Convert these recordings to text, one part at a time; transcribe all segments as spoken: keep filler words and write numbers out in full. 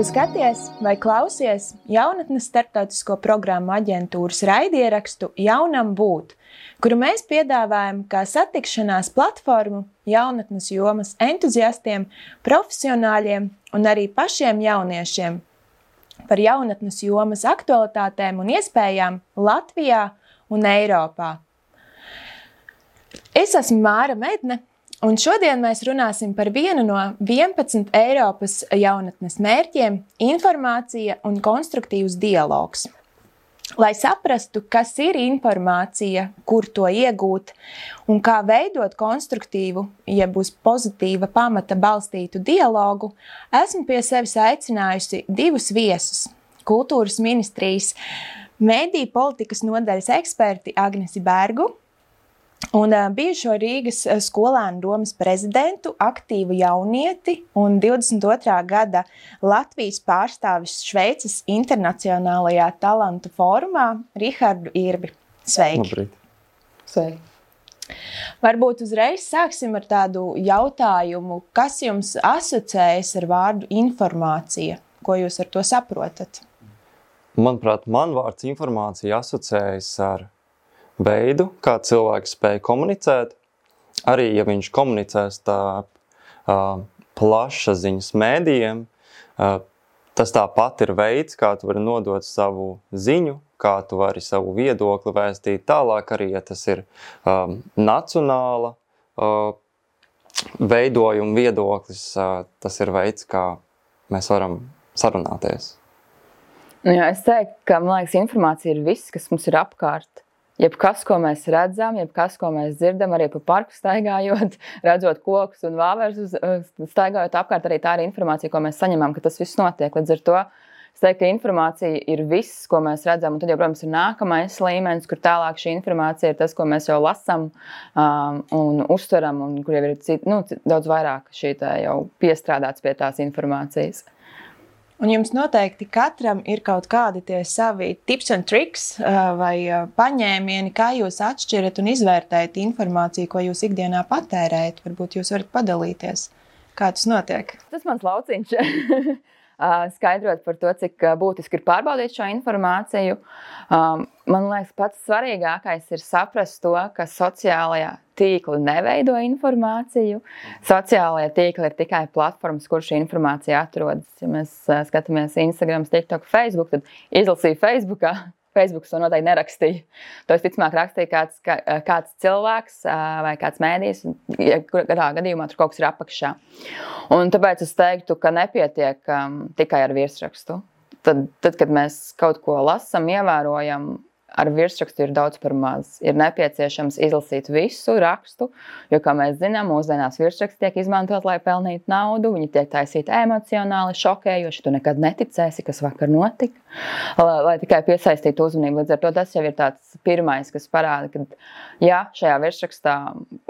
Tu skaties vai klausies Jaunatnes starptautisko programmu aģentūras raidierakstu Jaunam būt, kuru mēs piedāvājam kā satikšanās platformu jaunatnes jomas entuziastiem, profesionāļiem un arī pašiem jauniešiem par jaunatnes jomas aktualitātēm un iespējām Latvijā un Eiropā. Es esmu Māra Medne, un šodien mēs runāsim par vienu no vienpadsmit Eiropas jaunatnes mērķiem – informācija un konstruktīvs dialogs. Lai saprastu, kas ir informācija, kur to iegūt un kā veidot konstruktīvu, ja būs pozitīva pamata balstītu dialogu, esmu pie sevis aicinājusi divus viesus – Kultūras ministrijas mediju politikas nodaļas eksperti Agnesi Bergu un bijušo Rīgas skolēnu domas prezidentu, aktīvu jaunieti un divdesmit otrā gada Latvijas pārstāvis Šveices internacionālajā talantu fórumā Rihardu Irbi. Sveiki! Labrīt! Sveiki! Varbūt uzreiz sāksim ar tādu jautājumu, kas jums asociējas ar vārdu informācija? Ko jūs ar to saprotat? Manuprāt, man vārds informācija asociējas ar veidu, kā cilvēks spēj komunicēt, arī ja viņš komunicēs tā uh, plašsaziņas mēdījiem, uh, tas tāpat ir veids, kā tu vari nodot savu ziņu, kā tu vari savu viedokli vēstīt tālāk, arī ja tas ir um, nacionāla uh, veidojuma viedoklis, uh, tas ir veids, kā mēs varam sarunāties. Nu jā, es teiktu, ka, man liekas, informācija ir viss, kas mums ir apkārt. Jebkas, ko mēs redzam, jebkas, ko mēs dzirdam, arī pa parku staigājot, redzot kokus un vāverus, staigājot apkārt, arī tā ir informācija, ko mēs saņemam, ka tas viss notiek. Līdz ar to es teiktu, ka informācija ir viss, ko mēs redzam, un tad jau, protams, ir nākamais līmenis, kur tālāk šī informācija ir tas, ko mēs jau lasam um, un uztveram, un kur jau ir cit, nu, daudz vairāk šī tā jau piestrādāts pie tās informācijas. Un jums noteikti katram ir kaut kādi tie savi tips un triks vai paņēmieni, kā jūs atšķirat un izvērtējat informāciju, ko jūs ikdienā patērējat. Varbūt jūs varat padalīties, kā tas notiek. Tas mans lauciņš. Skaidrot par to, cik būtiski ir pārbaudīt šo informāciju. Man liekas, pats svarīgākais ir saprast to, ka sociālajā tīkli neveido informāciju. Sociālajie tīkli ir tikai platformas, kur šī informācija atrodas. Ja mēs skatāmies Instagram, TikTok, Facebook, tad izlasīju Facebookā. Facebooks to noteikti nerakstīja. To es ticamāk rakstīja kāds, kā, kāds cilvēks vai kāds mēdījis, ja kurā gadījumā tur kaut kas ir apakšā. Un tāpēc es teiktu, ka nepietiek um, tikai ar virsrakstu. Tad, tad, kad mēs kaut ko lasam, ievērojam, ar virsrakstu ir daudz par maz. Ir nepieciešams izlasīt visu rakstu, jo, kā mēs zinām, mūsdienās virsraksti tiek izmantot, lai pelnītu naudu, viņi tiek taisīti emocionāli, šokējoši, tu nekad neticēsi, kas vakar notika, lai, lai tikai piesaistītu uzmanību. Līdz ar to tas jau ir tāds pirmais, kas parāda, ka, ja šajā virsrakstā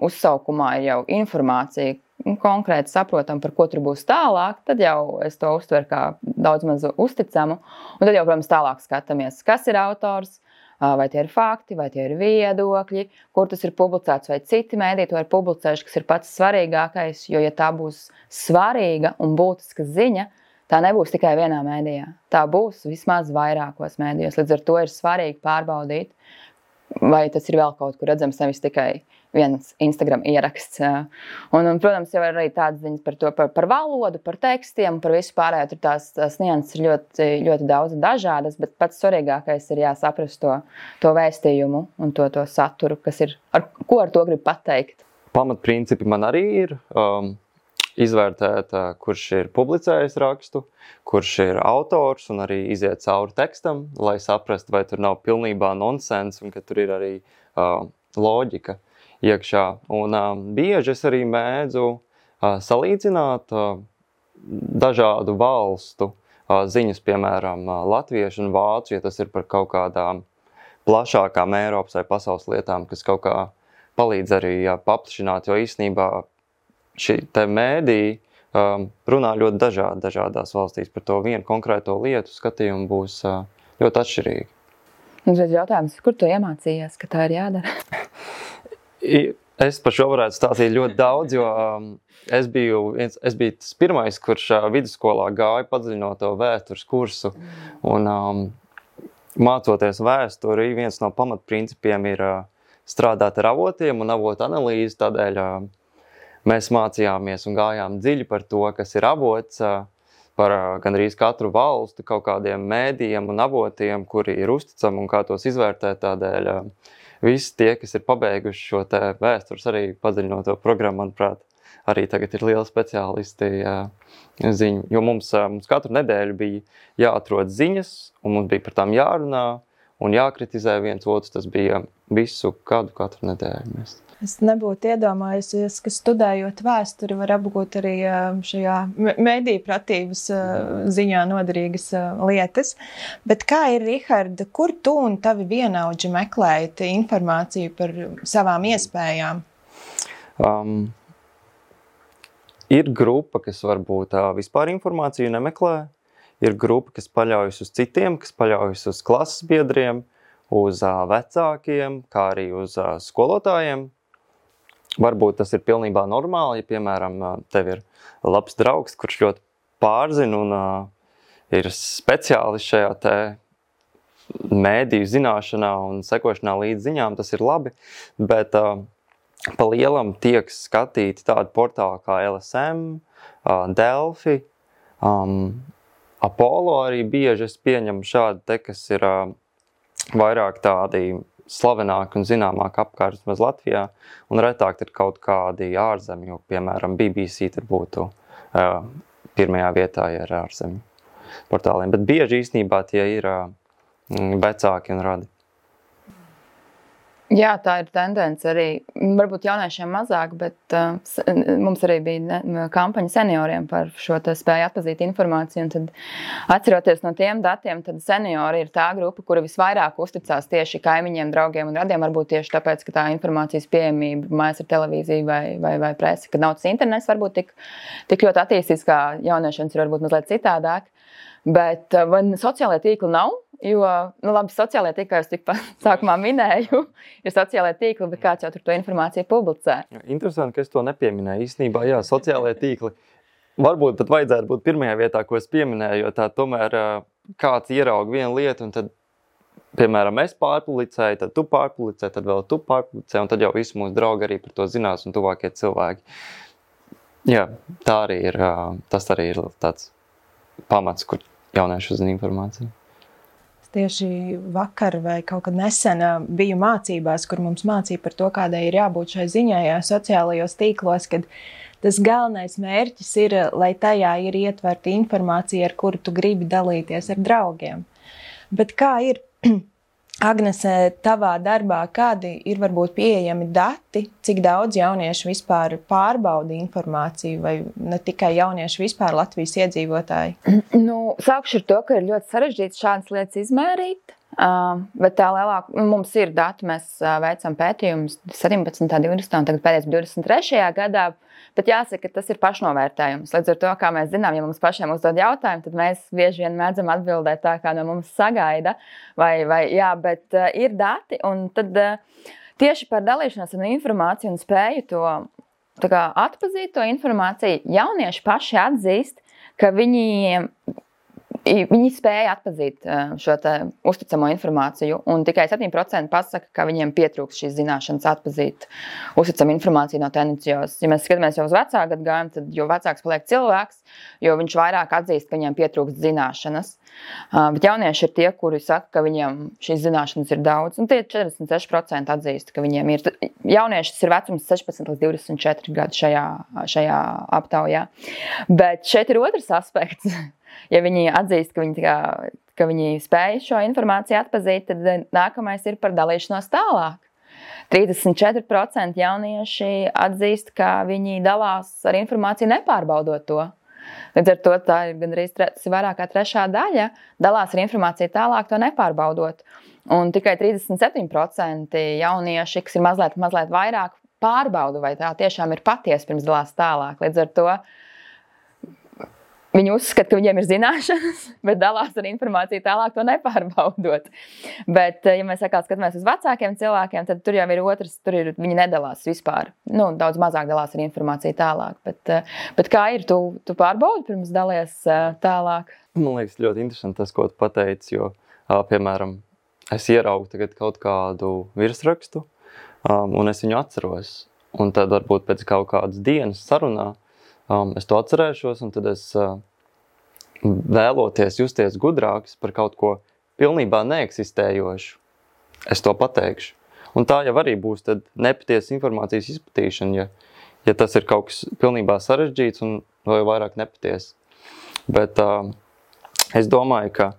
uzsaukumā ir jau informācija, konkrēti saprotam, par ko tur būs tālāk, tad jau es to uztveru kā daudz maz uzticamu, un tad jau, protams, tālāk skatāmies, kas ir autors, vai tie ir fakti, vai tie ir viedokļi, kur tas ir publicēts, vai citi mēdī to ir publicējuši, kas ir pats svarīgākais, jo, ja tā būs svarīga un būtiska ziņa, tā nebūs tikai vienā mēdījā. Tā būs vismaz vairākos mēdījos. Līdz ar to ir svarīgi pārbaudīt, vai tas ir vēl kaut kur redzams, nevis tikai viens Instagram ieraksts. Un, un protams, jau ir arī tādas ziņas par to, par, par valodu, par tekstiem, par visu pārējo. Tur tās, tās nianses ir ļoti, ļoti daudz un dažādas, bet pats svarīgākais ir jāsaprast to, to vēstījumu un to, to saturu, kas ir, ar, ko ar to grib pateikt. Pamatprincipi man arī ir um, izvērtēt, uh, kurš ir publicējis rakstu, kurš ir autors un arī iziet cauri tekstam, lai saprastu, vai tur nav pilnībā nonsens un ka tur ir arī uh, loģika iekšā. Un um, bieži es arī mēdzu uh, salīdzināt uh, dažādu valstu uh, ziņas, piemēram, uh, latviešu un vācu, ja tas ir par kaut kādām plašākām Eiropas vai pasaules lietām, kas kaut kā palīdz arī uh, paplašināt, jo īstenībā šī te mēdī um, runā ļoti dažādi dažādās valstīs par to vienu konkrēto lietu, skatījumu būs uh, ļoti atšķirīgi. Un tad jautājums, kur tu iemācījies, ka tā ir jādara? Es par šo varētu stāstīt ļoti daudz, jo um, es, biju, es biju tas pirmais, kurš uh, vidusskolā gāja padziļinoto vēstures kursu. Un um, mācoties vēsturi, viens no pamatprincipiem ir uh, strādāt ar avotiem un avotu analīzi. Tādēļ uh, mēs mācījāmies un gājām dziļi par to, kas ir avots, uh, par uh, gandrīz katru valstu, kaut kādiem mēdījiem un avotiem, kuri ir uzticami un kā tos izvērtēt. Tādēļ uh, visi tie, kas ir pabeiguši šo te vēstures arī padziļinoto programmu, manuprāt, arī tagad ir lieli speciālisti uh, ziņu. Jo mums, uh, mums katru nedēļu bija jāatrod ziņas, un mums bija par tām jārunā un jākritizē viens otrs. Tas bija visu kādu katru nedēļu. Mēs. Es nebūtu iedomājusies, ka studējot vēsturi var apgūt arī šajā mediju pratības ziņā noderīgas lietas. Bet kā ir, Riharda, kur tu un tavi vienaudži meklējat informāciju par savām iespējām? Um, ir grupa, kas varbūt uh, vispār informāciju nemeklē. Ir grupa, kas paļaujas uz citiem, kas paļaujas uz klases biedriem, uz uh, vecākiem, kā arī uz uh, skolotājiem. Varbūt tas ir pilnībā normāli, ja, piemēram, tev ir labs draugs, kurš ļoti pārzina un uh, ir speciālists šajā te mēdīju zināšanā un sekošanā līdz ziņām, tas ir labi, bet uh, pa lielam tiek skatīti tādi portāli kā L S M, uh, Delfi, um, Apollo arī bieži es pieņemu šādi te, kas ir uh, vairāk tādi slavenāk un zināmāk apkārt vismaz Latvijā, un retāk ir kaut kādi ārzemju, jo, piemēram, B B C tur būtu uh, pirmajā vietā ar ārzemju portāliem. Bet bieži īstenībā tie ir uh, vecāki un radi. Jā, tā ir tendence arī, varbūt jauniešiem mazāk, bet uh, mums arī bija ne, kampaņa senioriem par šo spēju atpazīt informāciju, un tad atceroties no tiem datiem, tad seniori ir tā grupa, kura visvairāk uzticās tieši kaimiņiem, draugiem un radiem, varbūt tieši tāpēc, ka tā informācijas pieejamība mājas ar televīziju vai, vai, vai presi, kad nav tas internets varbūt tik, tik ļoti attīstīts, kā jauniešiem ir varbūt mazliet citādāk, bet uh, vai sociālajie tīkli nav? Jo, nu labi, sociālajie tīkli, kā es tik sākumā minēju, ir sociālajie tīkli, bet kāds jau tur to informāciju publicē. Interesanti, ka es to nepieminēju. Īstenībā, jā, sociālajie tīkli varbūt pat vajadzētu būt pirmajā vietā, ko es pieminēju, jo tā tomēr kāds ieraug vienu lietu, un tad, piemēram, es pārpublicēju, tad tu pārpublicēji, tad vēl tu pārpublicēji, un tad jau visi mūsu draugi arī par to zinās un tuvākie cilvēki. Jā, tā arī ir, tas arī ir tāds pamats, kur jaunieši uzzina informāciju. Tieši vakar vai kaut kad nesen biju mācībās, kur mums mācīja par to, kādai ir jābūt šai ziņai sociālajos tīklos, kad tas galvenais mērķis ir, lai tajā ir ietverta informācija, ar kuru tu gribi dalīties ar draugiem. Bet kā ir, Agnese, tavā darbā, kādi ir varbūt pieejami dati, cik daudz jauniešu vispār pārbauda informāciju, vai ne tikai jaunieši vispār Latvijas iedzīvotāji? Nu, sākšu ar to, ka ir ļoti sarežģīts šādas lietas izmērīt, uh, bet tā lielāk, mums ir dati, mēs uh, veicam pētījumus septiņpadsmitā, divdesmitā un tagad pēdējais divdesmit trešajā gadā, bet jāsaka, ka tas ir pašnovērtējums. Līdz ar to, kā mēs zinām, ja mums pašiem uzdod jautājumu, tad mēs bieži vien mēdzam atbildēt tā, kā no mums sagaida, vai, vai jā, bet uh, ir dati, un tad uh, tieši par dalīšanos ar informāciju un spēju to tā kā atpazīt to informāciju, jaunieši paši atzīst, ka viņiem Viņi spēja atpazīt šo te uzticamo informāciju, un tikai septiņi procenti pasaka, ka viņiem pietrūks šīs zināšanas atpazīt uzticamu informāciju no tendencios. Ja mēs skatāmies jau uz vecāku gadagājumu, tad jo vecāks paliek cilvēks, jo viņš vairāk atzīst, ka viņiem pietrūks zināšanas. Bet jaunieši ir tie, kuri saka, ka viņiem šīs zināšanas ir daudz, un tie četrdesmit seši procenti atzīst, ka viņiem ir. Jaunieši tas ir vecums sešpadsmit līdz divdesmit četri gadi šajā, šajā aptaujā. Bet šeit ir otrs aspekts. Ja viņi atzīst, ka viņi, kā, ka viņi spēj šo informāciju atpazīt, tad nākamais ir par dalīšanos tālāk. trīsdesmit četri procenti jaunieši atzīst, ka viņi dalās ar informāciju nepārbaudot to. Līdz ar to tā ir gandrīz tas ir vairāk kā trešā daļa, dalās ar informāciju tālāk, to nepārbaudot. Un tikai trīsdesmit septiņi procenti jaunieši, kas ir mazliet, mazliet vairāk, pārbauda, vai tā tiešām ir patiesa pirms dalās tālāk. Līdz ar to viņi uzskata, ka viņiem ir zināšanas, bet dalās ar informāciju tālāk to nepārbaudot. Bet, ja mēs atkal skatāmies uz vecākiem cilvēkiem, tad tur jau ir otrs, tur ir, viņi nedalās vispār. Nu, daudz mazāk dalās ar informāciju tālāk. Bet, bet kā ir, tu, tu pārbaudi pirms dalies tālāk? Man liekas ļoti interesanti tas, ko tu pateici, jo, piemēram, es ieraugu tagad kaut kādu virsrakstu, um, un es viņu atceros. Un tad varbūt pēc kaut kādas dienas sarunā Um, es to atcerēšos, un tad es uh, vēloties justies gudrāks par kaut ko pilnībā neeksistējošu. Es to pateikšu. Un tā jau arī būs tad nepatiesa informācijas izplatīšana, ja, ja tas ir kaut kas pilnībā sarežģīts un vai vairāk nepatiesa. Bet uh, es domāju, ka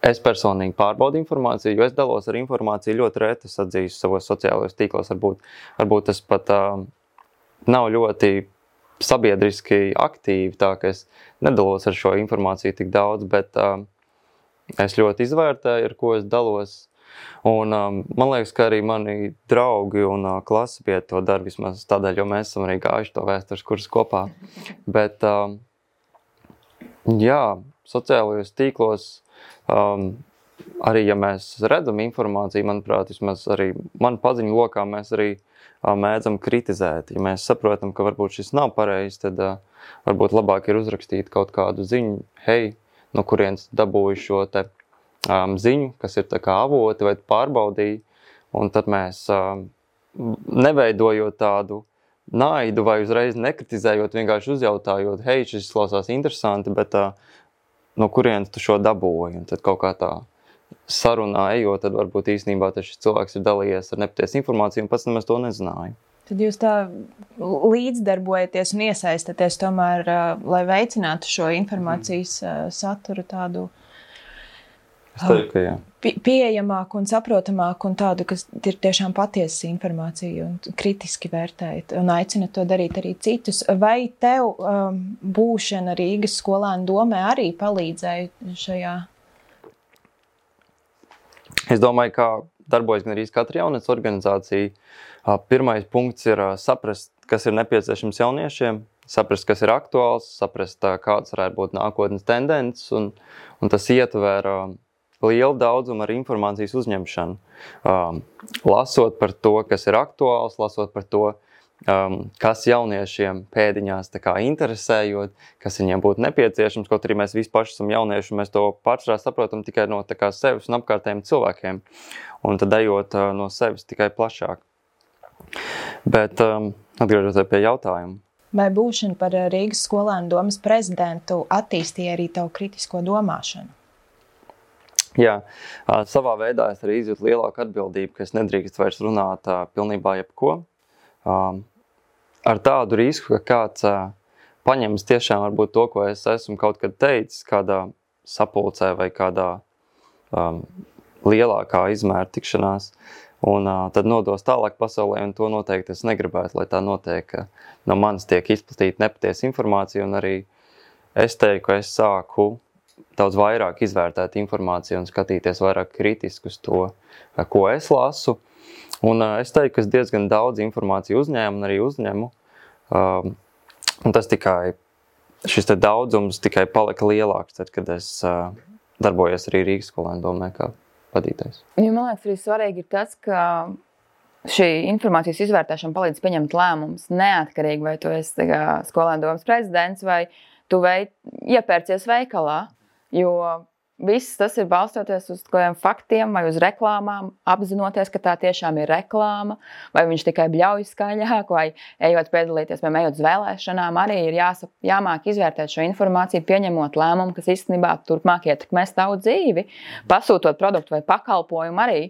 es personīgi pārbaudu informāciju, jo es dalos ar informāciju ļoti reti, es atzīstu savos sociālajos tīklos. Varbūt, varbūt tas pat uh, nav ļoti sabiedriski aktīvi, tā ka es nedalos ar šo informāciju tik daudz, bet um, es ļoti izvērtēju, ar ko es dalos. Un um, man liekas, ka arī mani draugi un uh, klasi pie to dara vismaz tādēļ, jo mēs esam arī gājuši to vēstures kursus kopā. Bet um, jā, sociālajos tīklos um, arī, ja mēs redzam informāciju, manuprāt, vismaz arī man paziņu lokā mēs arī mēdzam kritizēt. Ja mēs saprotam, ka varbūt šis nav pareizs, tad uh, varbūt labāk ir uzrakstīt kaut kādu ziņu, hei, no kurienes dabūju šo te um, ziņu, kas ir tā kā avoti vai pārbaudīja, un tad mēs um, neveidojot tādu naidu vai uzreiz nekritizējot, vienkārši uzjautājot, hei, šis klausās interesanti, bet uh, no kurienes tu šo dabūji, un tad kaut kā tā sarunā ejot, tad varbūt īstenībā šis cilvēks ir dalījies ar nepatiesu informāciju un pats nemaz to nezināja. Tad jūs tā līdzdarbojaties un iesaistaties tomēr, lai veicinātu šo informācijas saturu tādu es teiktu, ka jā. Pieejamāku un saprotamāku un tādu, kas ir tiešām patiesa informācija un kritiski vērtējat un aicinat to darīt arī citus. Vai tev um, būšana Rīgas skolēnu domē arī palīdzēja šajā? Es domāju, kā darbojas gan arī katra jaunatnes organizācija. Pirmais punkts ir saprast, kas ir nepieciešams jauniešiem, saprast, kas ir aktuāls, saprast, kāds varētu būt nākotnes tendences, un, un tas ietver lielu daudzumu ar informācijas uzņemšanu. Lasot par to, kas ir aktuāls, lasot par to, Um, kas jauniešiem pēdiņās tā kā interesējot, kas viņiem būtu nepieciešams, kaut arī mēs visi paši esam jaunieši, mēs to pašā saprotam tikai no tā kā sevis un apkārtējiem cilvēkiem, un tad ejot uh, no sevis tikai plašāk. Bet um, atgriežoties pie jautājuma. Vai būšana par Rīgas skolēnu domas prezidentu attīstīja arī tavu kritisko domāšanu? Jā, uh, savā veidā es arī izjūtu lielāku atbildību, ka es nedrīkst vairs runāt uh, pilnībā jebko. Um, ar tādu risku, ka kāds uh, paņems tiešām varbūt to, ko es esmu kaut kad teicis, kādā sapulcē vai kādā um, lielākā izmēra tikšanās, un uh, tad nodos tālāk pasaulē, un to noteikti es negribētu, lai tā notiek, ka no manis tiek izplatīta nepatiesa informācija, un arī es teiktu, ka es sāku daudz vairāk izvērtēt informāciju un skatīties vairāk kritiski uz to, uh, ko es lasu. Un uh, es teiktu, ka es diezgan daudz informāciju uzņēmu un arī uzņemu. Um, un tas tikai, šis te daudzums tikai palika lielāks, tad, kad es uh, darbojos arī Rīgas skolēnu domē kā vadītājs. Ja, man liekas, arī svarīgi ir tas, ka šī informācijas izvērtēšana palīdz pieņemt lēmumus neatkarīgi, vai tu esi tā kā skolēnu domas prezidents vai tu vei, iepērcies veikalā, jo viss tas ir balstoties uz kādiem faktiem vai uz reklāmām, apzinoties, ka tā tiešām ir reklāma, vai viņš tikai bļauj skaļāk, vai ejot piedalīties, vai ejot uz vēlēšanām, arī ir jāsap, jāmāk izvērtēt šo informāciju, pieņemot lēmumu, kas īstenībā turpmāk ietekmēs tavu dzīvi, pasūtot produktu vai pakalpojumu arī.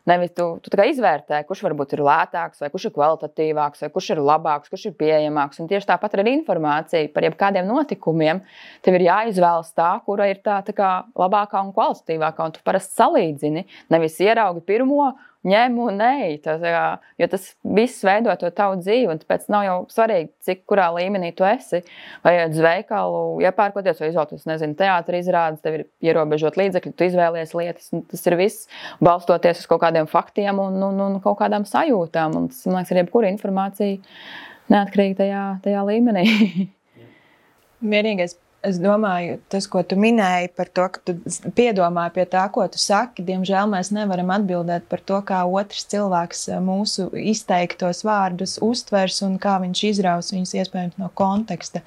Nevis tu, tu tā kā izvērtē, kurš varbūt ir lētāks, vai kurš ir kvalitatīvāks, vai kurš ir labāks, kurš ir pieejamāks. Un tieši tāpat ar informāciju par jebkādiem notikumiem. Tev ir jāizvēlas tā, kura ir tā, tā kā labākā un kvalitatīvākā. Un tu parasti salīdzini, nevis ieraugi pirmo, ņem un ej. Tā, tā kā, jo tas viss veido to tavu dzīvi. Un tāpēc nav jau svarīgi, cik kurā līmenī tu esi. Vai uz veikalu iepērkoties, vai izvēlēties, nezinu, teātra izrādes, tev ir ierobežot līdzekļi, tu izvēlies lietas. Tas ir viss balstoties uz kaut kādiem faktiem un, un, un kaut kādām sajūtām. Un tas, man liekas, ir jebkura informācija neatkarīgi tajā, tajā līmenī. Vienīgais, es domāju, tas, ko tu minēji par to, ka tu piedomāji pie tā, ko tu saki, diemžēl mēs nevaram atbildēt par to, kā otrs cilvēks mūsu izteiktos vārdus uztvers un kā viņš izraus viņus iespējams no konteksta.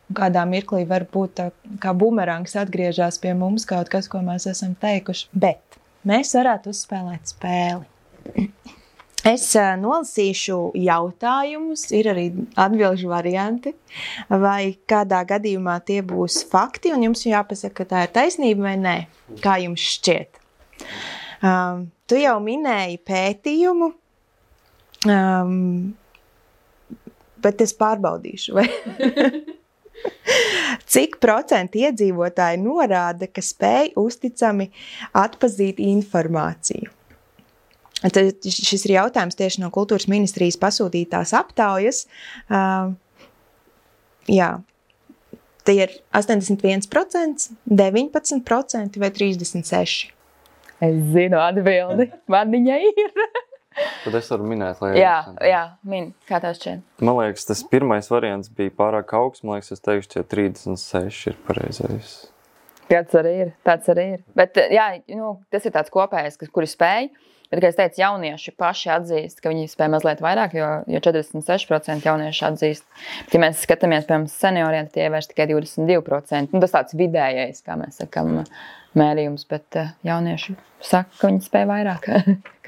Un kādā mirklī var būt tā, kā bumerangs atgriežās pie mums kaut kas, ko mēs esam teikuši. Bet mēs varētu uzspēlēt spēli. Es nolasīšu jautājumus, ir arī atbilžu varianti, vai kādā gadījumā tie būs fakti, un jums jāpasaka, ka tā ir taisnība vai nē. Kā jums šķiet? Um, tu jau minēji pētījumu, um, bet es pārbaudīšu, vai? Cik procenti iedzīvotāji norāda, ka spēj uzticami atpazīt informāciju? Tad šis ir jautājums tieši no kultūras ministrijas pasūtītās aptaujas. Uh, jā, tie ir astoņdesmit viens procents, deviņpadsmit procenti vai trīsdesmit seši procenti. Es zinu atbildi, man viņa ir. Tad es varu minēt, lai... Jā, jā, min, kā tā šķiet? Man liekas, tas pirmais variants bija pārāk augsts, man liekas, es teikšu, ka trīsdesmit seši ir pareizais. Tāds arī ir, tāds arī ir. Bet jā, nu, tas ir tāds kopējais, kuri spēj. Bet, kā es teicu, jaunieši paši atzīst, ka viņi spēj mazliet vairāk, jo, jo četrdesmit seši procenti jaunieši atzīst. Bet, ja mēs skatāmies, piemēram, senioriem, tad tie vairs tikai divdesmit divi procenti. Nu, tas tāds vidējais, kā mēs sakam, mērījums, bet jaunieši saka, ka viņi spēj vairāk,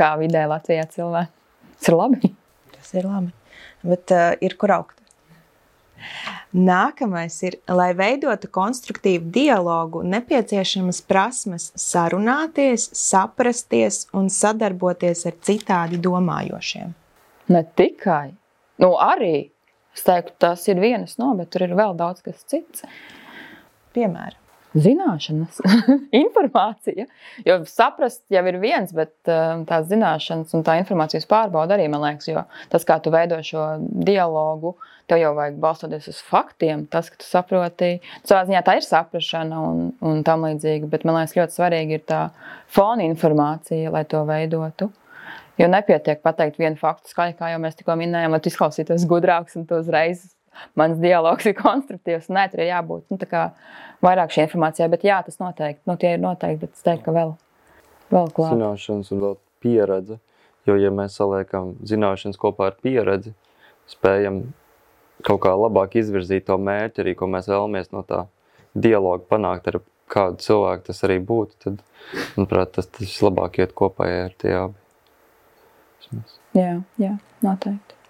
kā vidē Latvijā cilvēki. Tas ir labi. Tas ir labi. Bet uh, ir kur augt. Nākamais ir, lai veidotu konstruktīvu dialogu, nepieciešamas prasmes sarunāties, saprasties un sadarboties ar citādi domājošiem. Ne tikai. Nu, arī. Es teiktu, tas ir vienas no, bet tur ir vēl daudz kas cits. Piemēram. Zināšanas, informācija. Jo saprast jau ir viens, bet tās zināšanas un tā informācijas pārbauda arī, man liekas, jo tas, kā tu veido šo dialogu, tev jau vajag balstoties uz faktiem, tas, ka tu saproti, savā ziņā tā ir saprašana un, un tam līdzīgi, bet man liekas ļoti svarīgi ir tā fona informācija, lai to veidotu. Jo nepietiek pateikt vienu faktu skaļi, kā jau mēs tikko minējām, lai tu izklausītos gudrāks un tu uzreiz mans dialogs ir konstruktīvs. Nē, tur ir jābūt nu, tā kā vairāk šī informācijā, bet jā, tas noteikti. Nu, tie ir noteikti, bet es teiktu, ka vēl, vēl klāt. Zināšanas un vēl pieredze. Jo, ja mēs saliekam zināšanas kopā ar pieredzi, spējam kaut kā labāk izvirzīt to mērķi arī, ko mēs vēlamies no tā dialoga panākt ar kādu cilvēku tas arī būtu, tad, manuprāt, tas, tas labāk iet kopā ar tie abi. Jā, jā, noteikti.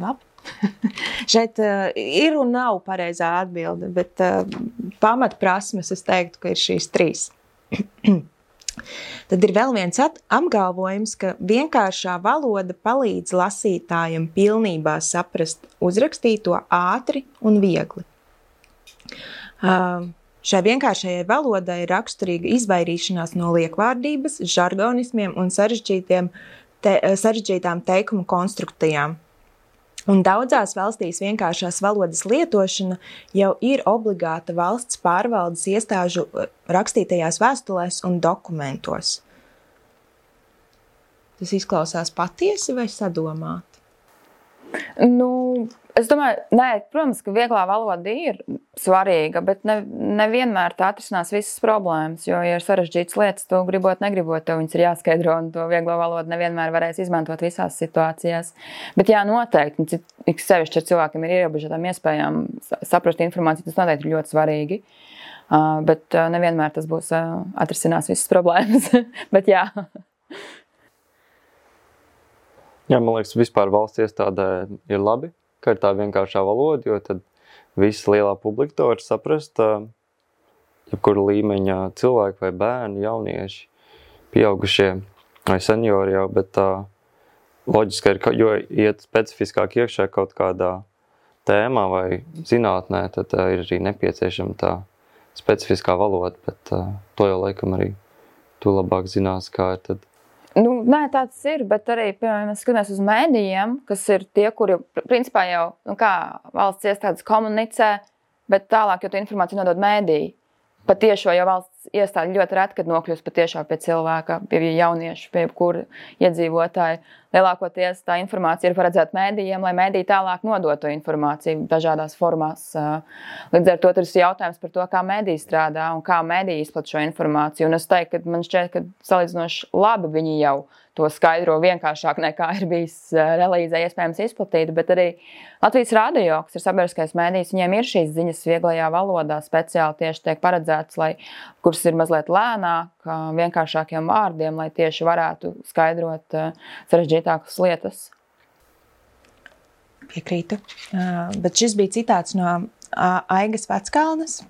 Labi. Šeit uh, ir un nav pareizā atbilde, bet uh, pamatprasmes es teiktu, ka ir šīs trīs. Tad ir vēl viens apgalvojums, ka vienkāršā valoda palīdz lasītājiem pilnībā saprast uzrakstīto ātri un viegli. Uh, šai vienkāršajai valodai ir raksturīga izvairīšanās no liekvārdības, žargonismiem un sarežģītiem te, sarežģītām teikumu konstrukcijām. Un daudzās valstīs vienkāršās valodas lietošana jau ir obligāta valsts pārvaldes iestāžu rakstītajās vēstulēs un dokumentos. Tas izklausās patiesi vai sadomāti? Nu, es domāju, nē, protams, ka vieglā valoda ir svarīga, bet ne, nevienmēr tā atrisinās visas problēmas, jo, ja ir sarežģītas lietas, to gribot, negribot, tev viņas ir jāskaidro, un to vieglo valodu nevienmēr varēs izmantot visās situācijās. Bet jā, noteikti, ik sevišķi ar cilvēkiem ir ierobežotām iespējām saprast informāciju, tas noteikti ir ļoti svarīgi, uh, bet uh, nevienmēr tas būs uh, atrisinās visas problēmas, bet jā. Jā, man liekas, vispār valsts iestādē ir labi, ka ir tā vienkāršā valoda, jo tad visa lielā publika to var saprast, jebkura līmeņa cilvēki vai bērni, jaunieši, pieaugušie vai seniori jau, bet tā loģiski ir, jo iet specifiskāk iekšā kaut kādā tēmā vai zinātnē, tad ir arī nepieciešama tā specifiskā valoda, bet to jau laikam arī tu labāk zinās, kā ir tad. Nu, nē, tāds ir, bet arī, piemēram, mēs skatāmies uz mēdījiem, kas ir tie, kuri, principā jau, nu kā, valsts iestādes komunicē, bet tālāk, jo tu informāciju nodod mēdīji. Patiešo, jo valsts iestāde ļoti reti, kad nokļūst patiešām pie cilvēka, pie jauniešu, pie kura iedzīvotāji. lielākoties tā informācija ir paredzēta mēdījiem, lai mēdīji tālāk nodotu informāciju dažādās formās. Līdz ar to tas ir jautājums par to, kā mēdīji strādā un kā mēdīji izplat šo informāciju. Un es teiktu, ka man šķiet, ka salīdzinoši labi viņi jau to skaidro vienkāršāk nekā ir bijis relīzē iespējams izplatīt, bet arī Latvijas radio, kas ir sabiedriskais mēdījis, viņiem ir šīs ziņas vieglajā valodā speciāli tieši tiek paredzēts, lai, kuras ir mazliet lēnāk, vienkāršākiem vārdiem, lai tieši varētu skaidrot sarežģītākas lietas. Piekrītu. Bet šis bija citāts no Aigas Veckalnes.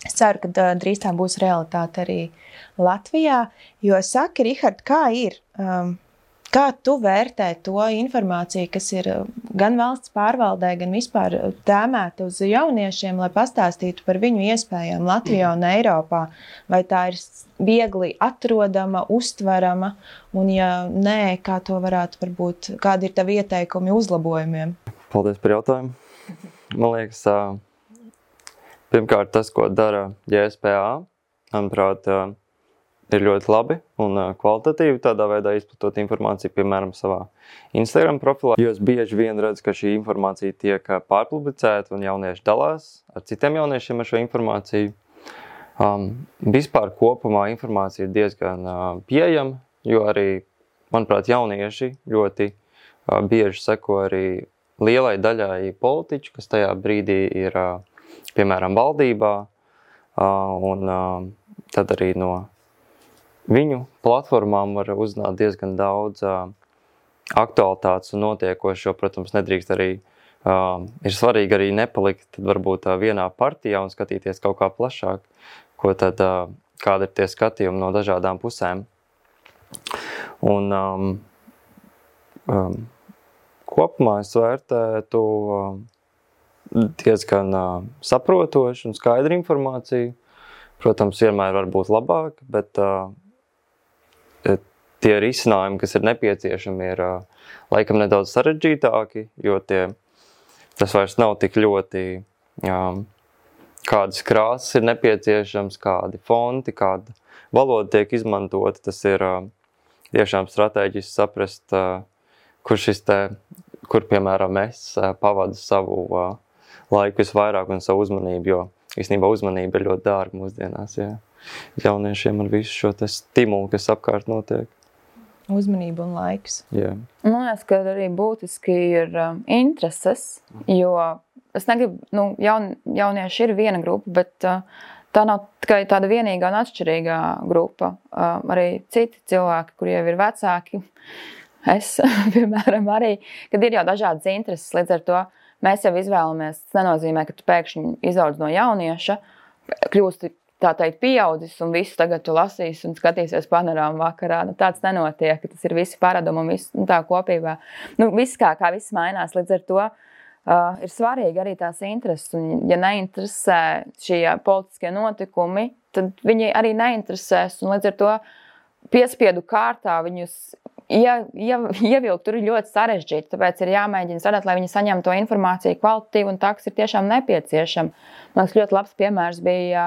Es ceru, ka drīz tā būs realitāte arī Latvijā, jo saki, Rihard, kā ir? Kā tu vērtē to informāciju, kas ir gan valsts pārvaldē, gan vispār tēmēta uz jauniešiem, lai pastāstītu par viņu iespējām Latvijā un Eiropā? Vai tā ir viegli atrodama, uztverama? Un ja nē, kā to varētu varbūt, kādi ir tavi ieteikumi uzlabojumiem? Paldies par jautājumu. Man liekas, pirmkārt, tas, ko dara J S P A, manuprāt, ir ļoti labi un kvalitatīvi tādā veidā izplatot informāciju, piemēram, savā Instagram profilā. Jo es bieži vien redzu, ka šī informācija tiek pārpublicēta un jaunieši dalās ar citiem jauniešiem ar šo informāciju. Um, vispār kopumā informācija ir diezgan uh, pieejama, jo arī, manuprāt, jaunieši ļoti uh, bieži seko arī lielai daļai politiķu, kas tajā brīdī ir, uh, piemēram, valdībā, uh, un uh, tad arī no viņu platformām var uzzināt diezgan daudz uh, aktualitātes un notiekošo. Protams, nedrīkst arī, uh, ir svarīgi arī nepalikt tad varbūt uh, vienā partijā un skatīties kaut kā plašāk, ko tad, uh, kāda ir tie skatījumi no dažādām pusēm. Un um, um, kopumā es vērtētu uh, diezgan uh, saprotošu un skaidru informāciju. Protams, vienmēr var būt labāk, bet uh, tie risinājumi, kas ir nepieciešami, ir uh, laikam nedaudz sarežģītāki, jo tie, tas vairs nav tik ļoti, um, kādas krāsas ir nepieciešams, kādi fonti, kāda valoda tiek izmantota. Tas ir uh, tiešām strateģiski saprast, uh, kur šis te, kur, piemēram, es uh, pavadu savu uh, laiku visvairāk un savu uzmanību, jo īstenībā uzmanība ir ļoti dārga mūsdienās, jā. Jauniešiem ar visu šo te stimulu, kas apkārt notiek. Uzmanība un laiks. Jā. Man liekas, ka arī būtiski ir um, intereses, jo es negribu, nu, jaun, jaunieši ir viena grupa, bet uh, tā nav tikai tāda vienīgā un atšķirīgā grupa. Uh, arī citi cilvēki, kuri jau ir vecāki, es, piemēram, arī, kad ir jau dažādas intereses, līdz ar to mēs jau izvēlamies, tas nenozīmē, ka tu pēkšņi izaudz no jaunieša, kļūsti tā teikt pieaudzis un visu tagad tu lasīs un skatīsies panorāmu vakarā. Nu, tāds nenotiek, ka tas ir visi paradumi un viss, nu, tā kopībā. Nu, viss kā, kā viss mainās, līdz ar to uh, ir svarīgi arī tās intereses. Un, ja neinteresē šie politiskie notikumi, tad viņi arī neinteresēs. Un līdz ar to piespiedu kārtā viņus ja, ja, ievilkt tur ir ļoti sarežģīti, tāpēc ir jāmēģina strādāt, lai viņi saņem to informāciju kvalitatīvu un tā, kas ir tiešām nepieciešama. Man liekas, ļoti labs piemērs bija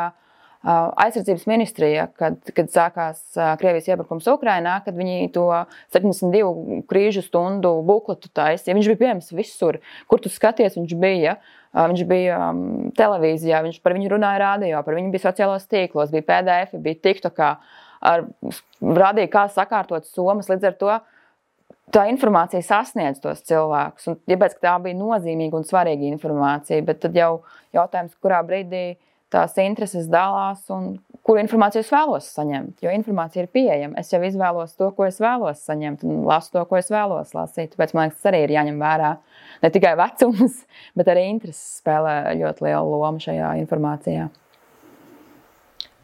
aizsardzības ministrija, kad, kad sākās Krievijas iebrukums Ukrainā, kad viņi to septiņdesmit divu krīžu stundu bukletu taisīja. Viņš bija pieejams visur, kur tu skaties, viņš bija. Viņš bija um, televīzijā, viņš par viņu runāja radio, par viņu bija sociālos tīklos, bija P D F, bija TikTokā, ar, rādīja, kā sakārtot somas, līdz ar to tā informācija sasniedz tos cilvēkus. Un, ja pēc, ka tā bija nozīmīga un svarīga informācija, bet tad jau jautājums, kurā brīdī tās intereses dalās un kuru informāciju es vēlos saņemt, jo informācija ir pieejama. Es jau izvēlos to, ko es vēlos saņemt un lasu to, ko es vēlos lasīt. Tāpēc, man liekas, tas arī ir jāņem vērā. Ne tikai vecums, bet arī intereses spēlē ļoti lielu lomu šajā informācijā.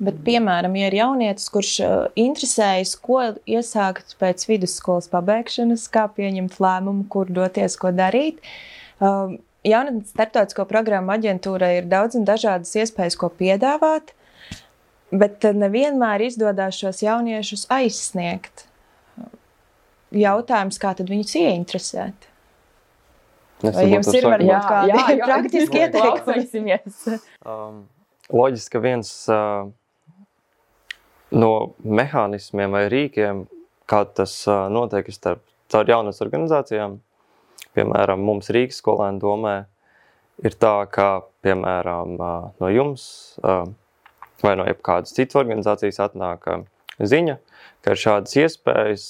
Bet, piemēram, ja ir jaunietis, kurš interesējas, ko iesākt pēc vidusskolas pabeigšanas, kā pieņemt lēmumu, kur doties, ko darīt, um, Jaunatnes starptautisko programmu aģentūrai ir daudz un dažādas iespējas, ko piedāvāt, bet nevienmēr izdodas šos jauniešus aizsniegt. Jautājums, kā tad viņus ieinteresēt? Vai jums ir varbūt kādi praktiski ieteikumi? um, loģiski, ka viens uh, no mehānismiem vai rīkiem, kā tas uh, notiek starp caur jaunas organizācijām. Piemēram, mums Rīgas skolēnu domē ir tā, ka, piemēram, no jums vai no jebkādas citas organizācijas atnāk ziņa, ka ir šādas iespējas,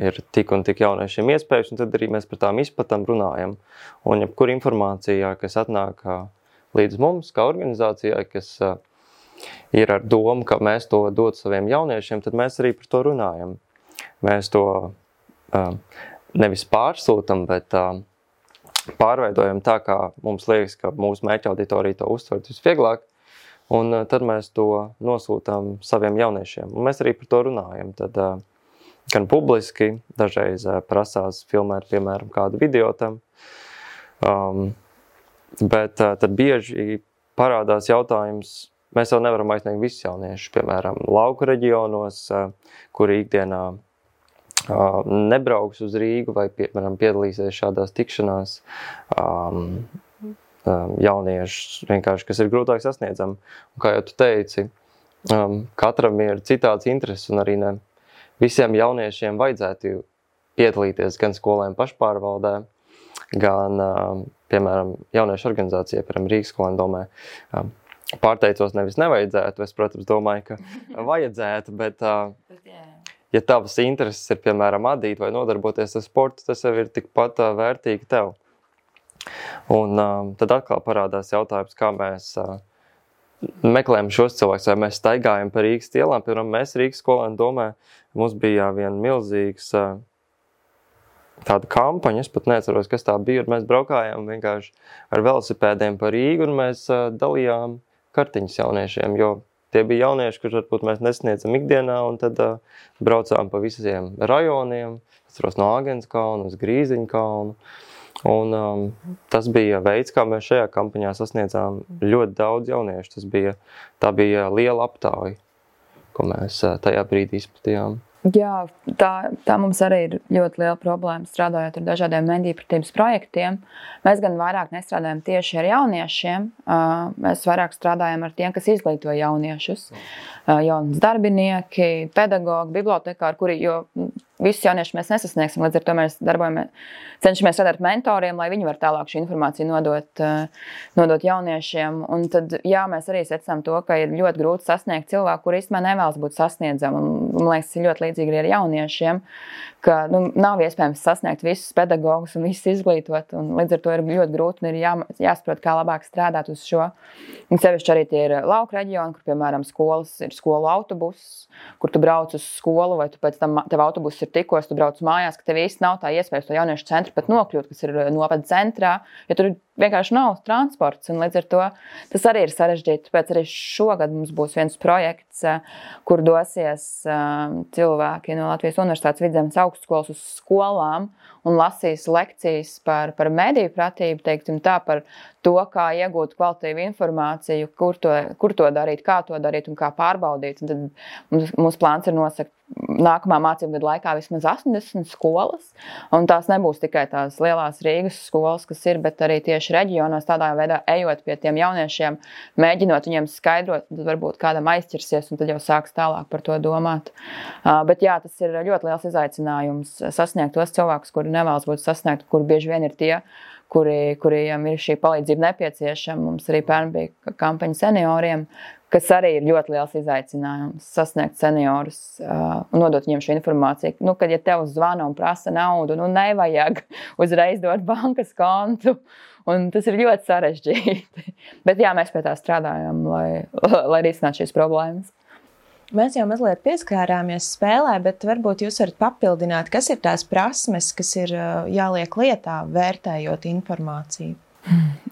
ir tik un tik jauniešiem iespējas, un tad arī mēs par tām izplatām runājam. Un jebkura informācija, kas atnāk līdz mums, kā organizācijai, kas ir ar domu, ka mēs to dod saviem jauniešiem, tad mēs arī par to runājam. Mēs to nevis pārsūtam, bet pārveidojam tā, kā mums liekas, ka mūsu mērķa auditorija to uztver visvieglāk, un tad mēs to nosūtām saviem jauniešiem. Un mēs arī par to runājam. Tad gan publiski, dažreiz prasās filmēt, piemēram, kādu video tam, um, bet tad bieži parādās jautājums, mēs jau nevaram aizsniegt visus jauniešus, piemēram, lauku reģionos, kuri ikdienā nebrauks uz Rīgu vai, piemēram, piedalīsies šādās tikšanās um, um, jaunieši, vienkārši, kas ir grūtāk sasniedzami. Un kā jau tu teici, um, katram ir citāds intereses un arī ne visiem jauniešiem vajadzētu piedalīties gan skolēm pašpārvaldē, gan, um, piemēram, jauniešu organizācijai, piemēram, Rīgas skolēnu domē. Um, pārteicos nevis nevajadzētu, es, protams, domāju, ka vajadzētu, bet... Uh, Ja tavas intereses ir, piemēram, adīt vai nodarboties ar sportu, tas jau ir tikpat uh, vērtīgi tev. Un uh, tad atkal parādās jautājums, kā mēs uh, meklējam šos cilvēkus, vai mēs staigājam pa Rīgas ielām. Piemēram, mēs Rīgas skolēnu domē, mums bija vien milzīgs uh, tāda kampaņa, es pat neatceros, kas tā bija, un mēs braukājām vienkārši ar velosipēdiem pa Rīgu, un mēs uh, dalījām kartiņas jauniešiem, jo tie bija jaunieši, kurus varbūt mēs nesniedzam ikdienā, un tad uh, braucām pa visiem rajoniem, atceros no Āgenskalna uz Grīziņkalnu. Un um, tas bija veids, kā mēs šajā kampaņā sasniedzām ļoti daudz jauniešu. Tas bija, tā bija liela aptāja, ko mēs uh, tajā brīdī izplatījām. Jā, tā, tā mums arī ir ļoti liela problēma strādājot ar dažādiem mediju-pratības projektiem. Mēs gan vairāk nestrādājam tieši ar jauniešiem, mēs vairāk strādājam ar tiem, kas izglīto jauniešus. Jaunas darbinieki, pedagogi, bibliotekāri, kuri, jo visus jauniešus mēs nesasniegsim, līdz ar to mēs darbojamies, cenšamies strādāt ar mentoriem, lai viņi var tālāk šī informāciju nodot, nodot jauniešiem. Un tad, jā, mēs arī secinām to, ka ir ļoti grūti sasniegt cilvēku, kuri īstenībā nevēlas būt sasniedzami. Un, man liekas, ir ļoti līdzīgi arī ar jauniešiem, ka nu, nav iespējams sasniegt visus pedagogus un visus izglītot. Un līdz ar to ir ļoti grūti un ir jā, jāsaprot, kā labāk strādāt uz šo. Un sevišķi arī tie ir lauku reģioni, kur, piemēram, skolas ir skolu autobuss, kur tu brauc uz skolu, vai tu pēc tam tev autobuss ir tikos, tu brauc mājās, ka tev īsti nav tā iespējas to jauniešu centru pat nokļūt, kas ir novada centrā, jo tur vienkārši nav transports, un līdz ar to tas arī ir sarežģīti. Tāpēc arī šogad mums būs viens projekts, kur dosies cilvēki no Latvijas Universitātes Vidzemes augstskolas uz skolām un lasīs lekcijas par, par mediju pratību, teiksim tā, par to, kā iegūt kvalitīvu informāciju, kur to, kur to darīt, kā to darīt un kā pārbaudīt. Un tad mums, mums plāns ir nosakt nākamā mācību gada laikā vismaz astoņdesmit skolas, un tās nebūs tikai tās lielās Rīgas skolas, kas ir, bet arī tieši reģionos tādā veidā ejot pie tiem jauniešiem, mēģinot viņiem skaidrot, tad varbūt kādam aizķirsies, un tad jau sāks tālāk par to domāt. Uh, bet jā, tas ir ļoti liels izaicinājums sasniegt tos cilvēkus, kuri nevēlas būt sasniegt, kuri bieži vien ir tie, kuri, kuriem ir šī palīdzība nepieciešama. Mums arī pērn bija kampaņa senioriem, kas arī ir ļoti liels izaicinājums sasniegt seniorus uh, un nodot viņiem šo informāciju. Nu, kad ja tev zvana un prasa naudu, nu nevajag uzreiz dot bankas kontu, un tas ir ļoti sarežģīti. Bet jā, mēs pie tā strādājam, lai, lai risinātu šīs problēmas. Mēs jau mazliet pieskārāmies spēlē, bet varbūt jūs varat papildināt, kas ir tās prasmes, kas ir jāliek lietā, vērtējot informāciju?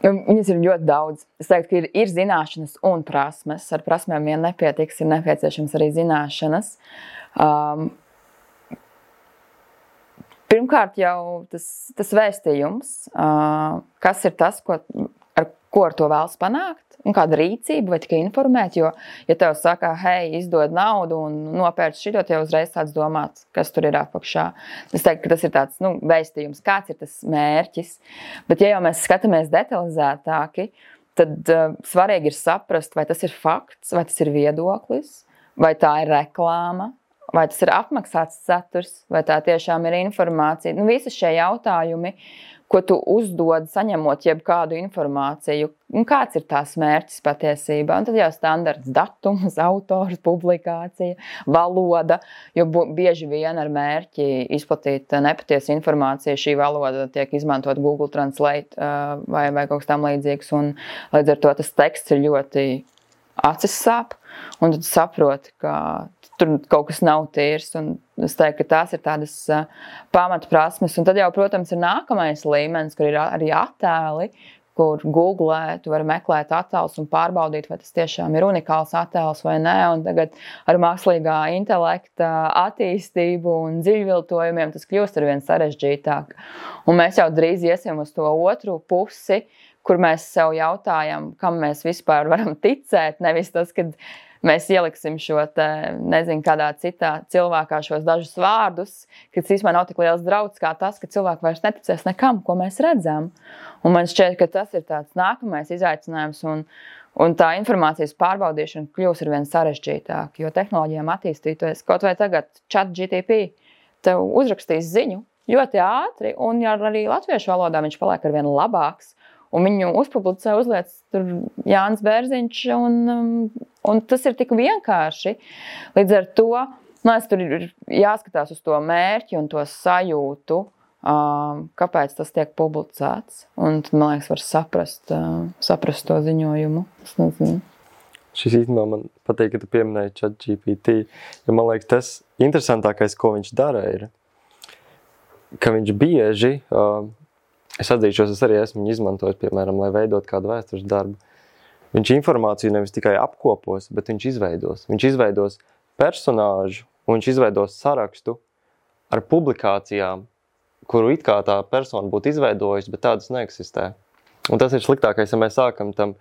Viņas ir ļoti daudz. Es teiktu, ka ir, ir zināšanas un prasmes. Ar prasmēm vien nepietiks, ir nepieciešams arī zināšanas. Um, pirmkārt jau tas, tas vēstījums, uh, kas ir tas, ko, ar ko ar to vēlas panākt, un kāda rīcība, vai tikai informēt, jo, ja tev saka, hei, izdod naudu un nopērc šito, tev uzreiz tāds domāt, kas tur ir apakšā. Es teiktu, ka tas ir tāds, nu, vēstījums, kāds ir tas mērķis, bet ja jau mēs skatāmies detalizētāki, tad uh, svarīgi ir saprast, vai tas ir fakts, vai tas ir viedoklis, vai tā ir reklāma, vai tas ir apmaksāts saturs, vai tā tiešām ir informācija. Nu, visi šie jautājumi, ko tu uzdod, saņemot jebkādu informāciju, un kāds ir tās mērķis patiesībā. Un tad jau standarts datums, autors, publikācija, valoda, jo bieži vien ar mērķi izplatīt nepatiesu informāciju šī valoda tiek izmantot Google Translate vai, vai kaut kas tam līdzīgs, un līdz ar to tas teksts ir ļoti acis sāp, un tad saproti, ka tur kaut kas nav tīrs, un es teiktu, ka tās ir tādas uh, pamata prasmes. Un tad jau, protams, ir nākamais līmenis, kur ir arī attēli, kur Googlē tu vari meklēt attēlus un pārbaudīt, vai tas tiešām ir unikāls attēls vai nē. Un tagad ar mākslīgā intelekta attīstību un dziļviltojumiem tas kļūst arvien sarežģītāk. Un mēs jau drīz iesim uz to otru pusi, kur mēs sev jautājam, kam mēs vispār varam ticēt, nevis tas, kad mēs ieliksim šo te, nezinu, kādā citā cilvēkā šos dažus vārdus, kas īstenībā nav tik liels drauds kā tas, ka cilvēki vairs neticēs nekam, ko mēs redzam. Un man šķiet, ka tas ir tāds nākamais izaicinājums, un, un tā informācijas pārbaudīšana kļūs arvien sarežģītāk, jo tehnoloģijām attīstītoties, kaut vai tagad ChatGPT tev uzrakstīs ziņu ļoti ātri, un ja arī latviešu valodā viņš paliek arvien labāks, un viņu uzpublicē, uzliec tur Jānis Bērziņš, un, un tas ir tik vienkārši. Līdz ar to, nu, es tur ir jāskatās uz to mērķi un to sajūtu, kāpēc tas tiek publicēts. Un tad, man liekas, var saprast, saprast to ziņojumu. Es nezinu. Šis īstenībā man patīk, ka tu pieminēji ChatGPT, jo man liekas, tas interesantākais, ko viņš dara, ir, ka viņš bieži... Uh, Es atzīšos, es arī esmu viņu izmantojis, piemēram, lai veidot kādu vēstures darbu. Viņš informāciju nevis tikai apkopos, bet viņš izveidos. Viņš izveidos personāžu un viņš izveidos sarakstu ar publikācijām, kuru it kā tā persona būtu izveidojusi, bet tādas neeksistē. Un tas ir sliktākais, ja mēs sākam tam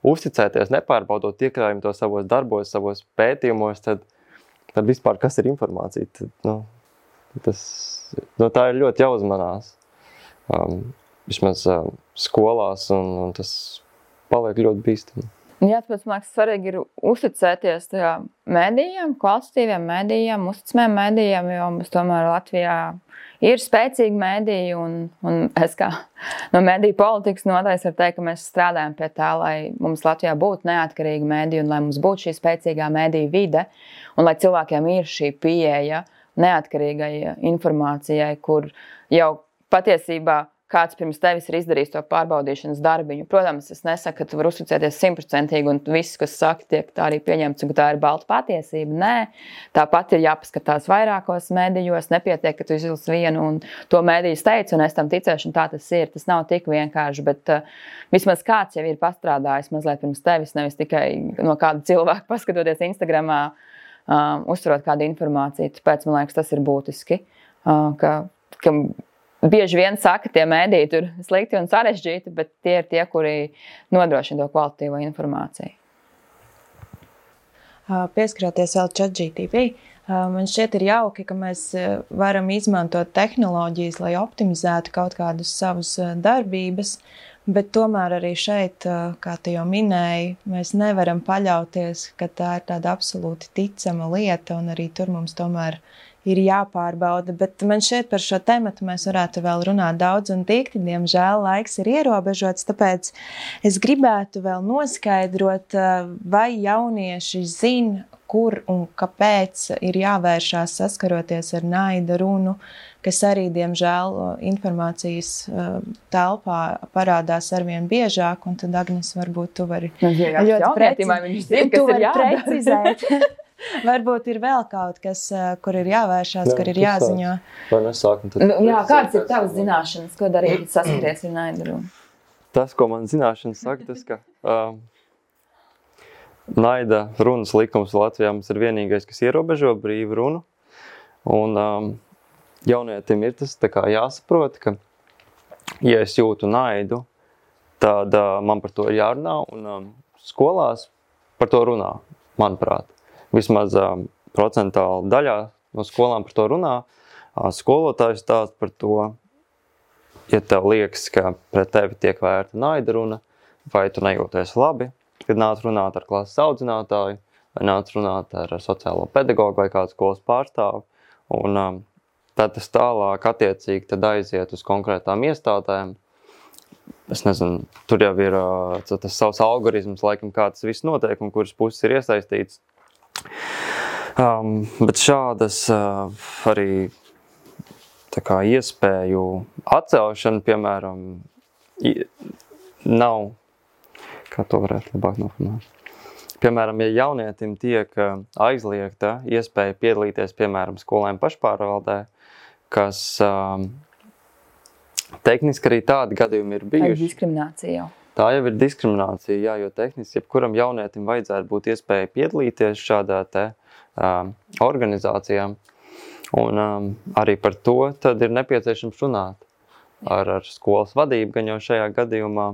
uzticēties, nepārbaudot, iekrājam to savos darbos, savos pētījumos, tad, tad vispār kas ir informācija? Tad, nu, tas, nu, tā ir ļoti jāuzmanās. Um, vismaz um, skolās, un, un tas paliek ļoti bīstami. Jā, tāpēc, man liekas, svarīgi ir uzticēties tajā mēdījiem, kvalitatīviem mēdījiem, uzticamiem mēdījiem, jo mums tomēr Latvijā ir spēcīgi mēdīji, un, un es kā no mēdīju politikas nodaļas varu teikt, ka mēs strādājam pie tā, lai mums Latvijā būtu neatkarīgi mēdīji, un lai mums būtu šī spēcīgā mēdīju vide, un lai cilvēkiem ir šī pieeja neatkarīgai informācijai, kur jau patiesībā kāds pirms tevis ir izdarījis to pārbaudīšanas darbiņu. Protams, es nesaku, ka tu vari uzticēties simtprocentīgi un viss, kas saka, tiek tā arī pieņemts un ka tā ir balta patiesība. Nē, tāpat ir jāpaskatās vairākos mēdījos, nepietiek, ka tu izlasi vienu un to mēdījis teica un es tam ticēšu un tā tas ir. Tas nav tik vienkārši, bet uh, vismaz kāds jau ir pastrādājis mazliet pirms tevis, nevis tikai no kāda cilvēka paskatoties Instagramā, uh, uzturot kādu informāciju. Tāpēc, man liekas, tas ir būtiski, uh, ka, ka bieži vien saka, tie mēdīji tur slikti un sarežģīti, bet tie ir tie, kuri nodrošina to kvalitatīvo informāciju. Pieskaroties vēl ChatGPT, man šķiet ir jauki, ka mēs varam izmantot tehnoloģijas, lai optimizētu kaut kādus savus darbības, bet tomēr arī šeit, kā tu jau minēji, mēs nevaram paļauties, ka tā ir tāda absolūti ticama lieta, un arī tur mums tomēr ir jāpārbauda, bet man šeit par šo tematu mēs varētu vēl runāt daudz un dikti, diemžēl laiks ir ierobežots, tāpēc es gribētu vēl noskaidrot, vai jaunieši zina, kur un kāpēc ir jāvēršās saskaroties ar naida runu, kas arī, diemžēl, informācijas telpā parādās arvien biežāk, un tad, Agnes, varbūt tu vari ļoti preci... tu vari precizēt. Varbūt ir vēl kaut kas, kur ir jāvēršās, jā, kur ir jāziņo. Vai nesākam tad? Nu, jā, kādas ir tavas zināšanas, ko darīt, kad saskaries ar naida runu? Tas, ko man zināšanas saka, tas, ka uh, naida runas likums Latvijā mums ir vienīgais, kas ierobežo brīvu runu. Un um, jaunietim ir tas tā kā jāsaprot, ka, ja es jūtu naidu, tad uh, man par to ir jārunā, un um, skolās par to runā, manuprāt. Vismaz um, procentāli daļā no skolām par to runā. Uh, skolotājs stāst par to, ja tev liekas, ka pret tevi tiek vērta naida runa, vai tu nejūties labi, kad nāc runāt ar klases audzinātāju, vai nāc runāt ar sociālo pedagogu vai kādu skolas pārstāvu. Un um, tad tas tālāk attiecīgi tad aiziet uz konkrētām iestādēm. Es nezinu, tur jau ir uh, tas savs algoritms, laikam, kā tas viss notiek un kuras puses ir iesaistīts. Um, bet šādas uh, arī tā kā iespēju atcelšana, piemēram, nav, kā to varētu labāk noformulēt. Piemēram, ja jaunietim tiek aizliegta iespēja piedalīties, piemēram, skolēm pašpārvaldē, kas um, tehniski arī tādi gadījumi ir bijuši. Tā ir diskriminācija jau. Tā jau ir diskriminācija, jā, jo tehniski jebkuram jaunietim vajadzētu būt iespēja piedalīties šādā te um, organizācijām. Un um, arī par to tad ir nepieciešams runāt ar, ar skolas vadību, gan jau šajā gadījumā,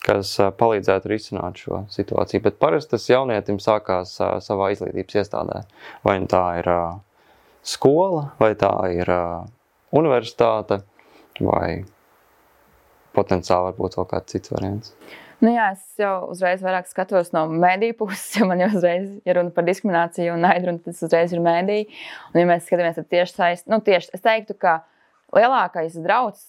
kas uh, palīdzētu risināt šo situāciju. Bet parasti tas jaunietim sākās uh, savā izglītības iestādē. Vai tā ir uh, skola, vai tā ir uh, universitāte, vai potenciāli varbūt vēl kāds cits variants. Nu jā, es jau uzreiz vairāk skatos no mediju puses, jo man jau uzreiz ir runa par diskrimināciju un naidu, un tas uzreiz ir mediji. Un ja mēs skatāmies, tad tieši saist, nu tieši, es teiktu, ka lielākais drauds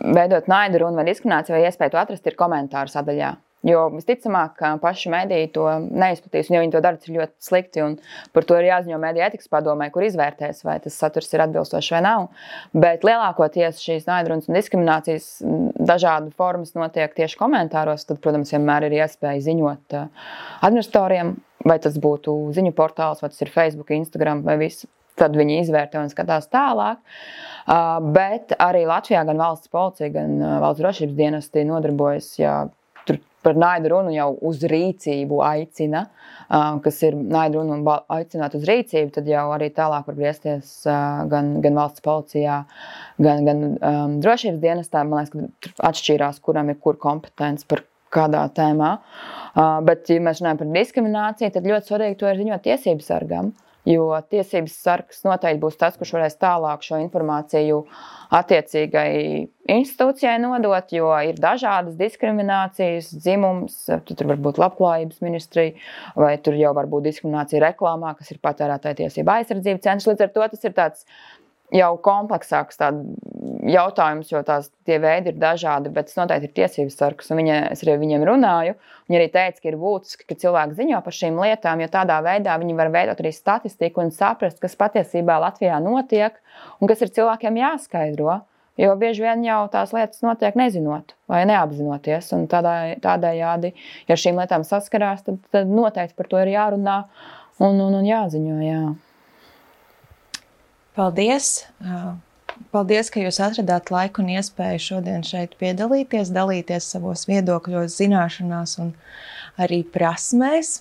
veidot naidu runu vai diskrimināciju vai iespēju to atrast ir komentāru sadaļā. Jo visticamāk, ka paši mediji to neizplatīs, un ja viņi to dara, tas ir ļoti slikti, un par to ir jāziņo mediju etikas padomē, kur izvērtēs, vai tas saturs ir atbilstošs vai nav. Bet lielākoties šīs naidrunas un diskriminācijas dažādu formas notiek tieši komentāros, tad, protams, vienmēr ir iespēja ziņot administratoriem, vai tas būtu ziņu portāls, vai tas ir Facebook, Instagram vai viss. Tad viņi izvērtē un skatās tālāk. Bet arī Latvijā gan valsts policija, gan valsts drošības dienesti nodarbojas, ja tur par naidu runu jau uz rīcību aicina, kas ir naidu runu un aicināt uz rīcību, tad jau arī tālāk var griezties gan, gan valsts policijā, gan, gan um, drošības dienestā. Man liekas, ka tur atšķīrās, kuram ir kur kompetence par kādā tēmā. Uh, bet, ja mēs runājam par diskrimināciju, tad ļoti svarīgi to ir ziņot tiesību sargam. Jo tiesības sargs noteikti būs tas, kurš varēs tālāk šo informāciju attiecīgai institūcijai nodot, jo ir dažādas diskriminācijas, dzimums, tur var būt labklājības ministrija, vai tur jau var būt diskriminācija reklāmā, kas ir patērētāja tiesība aizsardzība centrs. Līdz ar to tas ir tāds jau kompleksāks jautājums, jo tās tie veidi ir dažādi, bet tas noteikti ir tiesības sargs, un viņa, es arī viņiem runāju. Viņa arī teica, ka ir būtiski, ka cilvēki ziņo par šīm lietām, jo tādā veidā viņi var veidot arī statistiku un saprast, kas patiesībā Latvijā notiek un kas ir cilvēkiem jāskaidro, jo bieži vien jau tās lietas notiek nezinot vai neapzinoties, un tādā, tādējādi, ja šīm lietām saskarās, tad, tad noteikti par to ir jārunā un, un, un jāziņo, jā. Paldies! Paldies, ka jūs atradāt laiku un iespēju šodien šeit piedalīties, dalīties savos viedokļos, zināšanās un arī prasmēs.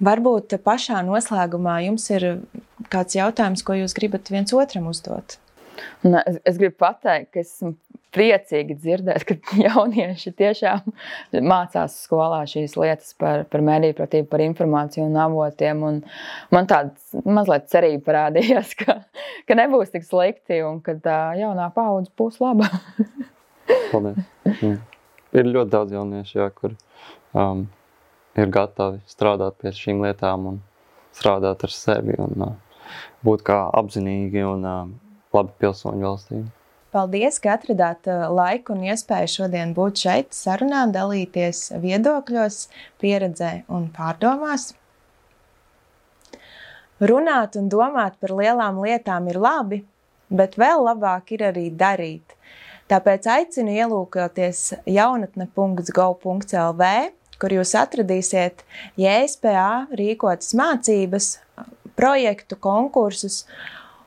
Varbūt pašā noslēgumā jums ir kāds jautājums, ko jūs gribat viens otram uzdot? Un es, es gribu pateikt, ka esmu priecīgi dzirdēt, ka jaunieši tiešām mācās skolā šīs lietas par, par mediju, par informāciju un avotiem. Un man tāds mazliet cerība parādījās, ka, ka nebūs tik slikti un ka tā jaunā paudze būs laba. Paldies. Jā. Ir ļoti daudz jauniešu, jā, kur um, ir gatavi strādāt pie šīm lietām un strādāt ar sevi un uh, būt kā apzinīgi un uh, labi pilsoņu valstī. Paldies, ka atradāt laiku un iespēju šodien būt šeit sarunā, dalīties viedokļos, pieredzē un pārdomās. Runāt un domāt par lielām lietām ir labi, bet vēl labāk ir arī darīt. Tāpēc aicinu ielūkoties jaunatne punkts gov punkts el vē, kur jūs atradīsiet J S P A rīkotas mācības, projektu, konkursus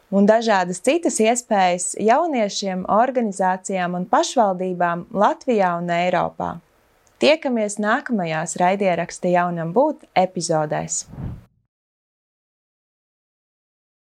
un dažādas citas iespējas jauniešiem, organizācijām un pašvaldībām Latvijā un Eiropā. Tiekamies nākamajās raidieraksta Jaunam būt epizodēs.